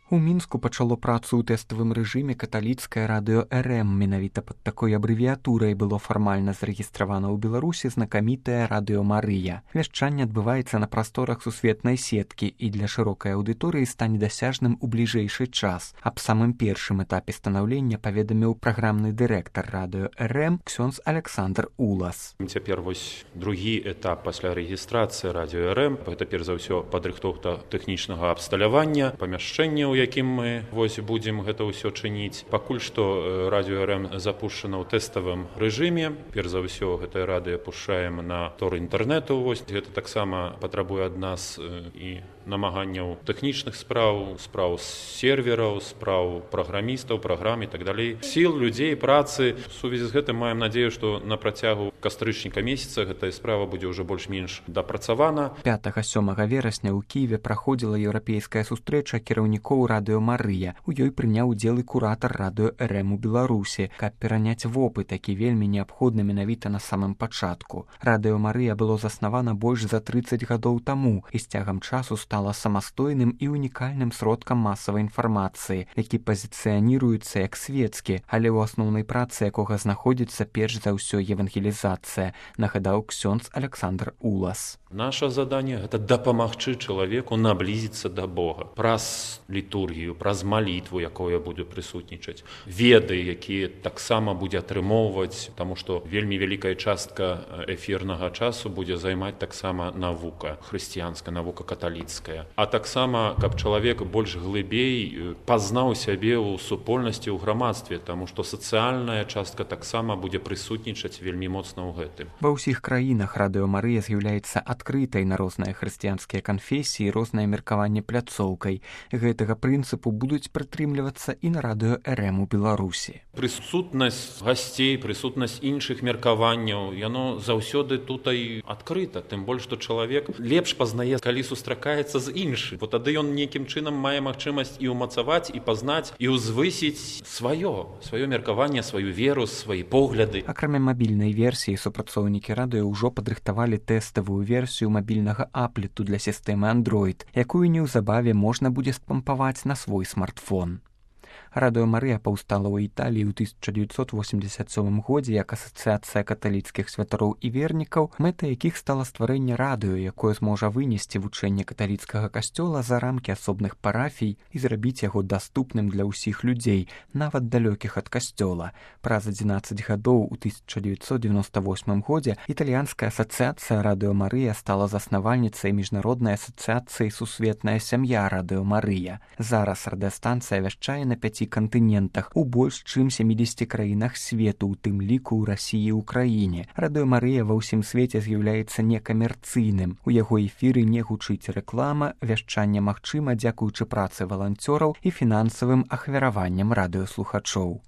У Мінску пачало працу ў тэставым рэжыме каталіцкае радыё РМ. Менавіта пад такой абрэвіятурай было фармальна зарэгістравана ў Беларусі знакамітае радыё Марыя. Вяшчанне адбываецца на прасторах сусветнай сеткі і для шырокай аўдыторыі стане дасяжным у бліжэйшы час. Аб самым першым этапе станаўлення паведаміў праграмны дырэктар радыё РМ ксёндз Александр Улас. Цяпер вось другі этап пасля рэгістрацыі радыё РМ. Гэта перш за ўсё падрыхтоўка тэхнічнага абсталявання, памяшчэнняў, якім мы будзем гэта ўсё чыніць. Пакуль што радыё РМ запушчана ў тэставым рэжыме. Перш за ўсё гэтае радыё пушчаем на тор інтэрнэту. Гэта таксама патрабуе ад нас і намаганняў тэхнічных спраў сервераў, спраў праграмістаў, праграм і так далей. Сіл, людзей, працы. У сувязі з гэтым маем надзею, што на працягу кастрычніка месяца гэтая справа будзе ўжо больш-менш дапрацавана. 5-7 верасня ў Кіеве праходзіла еўрапейская сустрэча кіраўнікоў радыё Марыя. У ёй прыняў удзел і куратар радыё РМ у Беларусі, каб пераняць вопыт, які вельмі неабходны менавіта на самым пачатку. Радыё Марыя было заснавана больш за 30 гадоў таму і з цягам часу стала самастойным і унікальным сродкам масавай інфармацыі, які пазіцыяніруецца як свецкі, але ў асноўнай працы якога знаходзіцца перш за ўсё евангелізацыя, нагадаў ксёндз Александр Улас. Наша заданне гэта дапамагчы чалавеку наблізіцца да Бога праз літургію, праз малітву, якое будзе прысутнічаць, веды, якія таксама будзе атрымоўваць, таму што вельмі вялікая частка эфірнага часу будзе займаць таксама навука хрысціянская, навука каталіцкая. А таксама, каб чалавек больш глыбей пазнаў сябе ў супольнасці, ў грамадстве, таму што сацыяльная частка таксама будзе прысутнічаць вельмі моцна ў гэтым. Ва ўсіх краінах радыё Марыя з'яўляецца адкрытай на розныя хрысціянскія канфесіі, рознае меркаванне пляцоўкай. Гэтага прынцыпу будуць прытрымлівацца і на радыё РМ у Беларусі. Прысутнасць гасцей, прысутнасць іншых меркаванняў, яно заўсёды тутай адкрыта, тым больш, што чалавек лепш пазнае, калі сустракаецца з іншым. Бо тады ён нейкім чынам мае магчымасць і ўмацаваць, і пазнаць, і ўзвысіць сваё меркаванне, сваю веру, свае погляды. Акрамя мабільнай версіі, супрацоўнікі радыё ўжо падрыхтавалі тэставую версію мабільнага аплету для сістэмы Android, якую неўзабаве можна будзе спампаваць на свой смартфон. Радыё Марыя паўстала ў Італіі ў 1987 годзе як асацыяцыя каталіцкіх святароў і вернікаў, мэтай якіх стала стварэнне радыё, якое зможа вынесці вучэнне каталіцкага касцёла за рамкі асобных парафій і зрабіць яго даступным для ўсіх людзей, нават далёкіх ад касцёла. Праз 11 гадоў у 1998 годзе італьянская асацыяцыя радыё Марыя стала заснавальніцай міжнароднай асацыяцыі сусветная сям'я радыё Марыя. Зараз радыёстанцыя вяшчае на 5 кантынентах у больш чым 70 краінах свету, у тым ліку ў Расіі і Украіне. Радыё Марыя ва ўсім свеце з'яўляецца некамерцыйным. У яго эфіры не гучыць рэклама, вяшчанне магчыма дзякуючы працы валанцёраў і фінансавым ахвяраванням радыёслухачоў.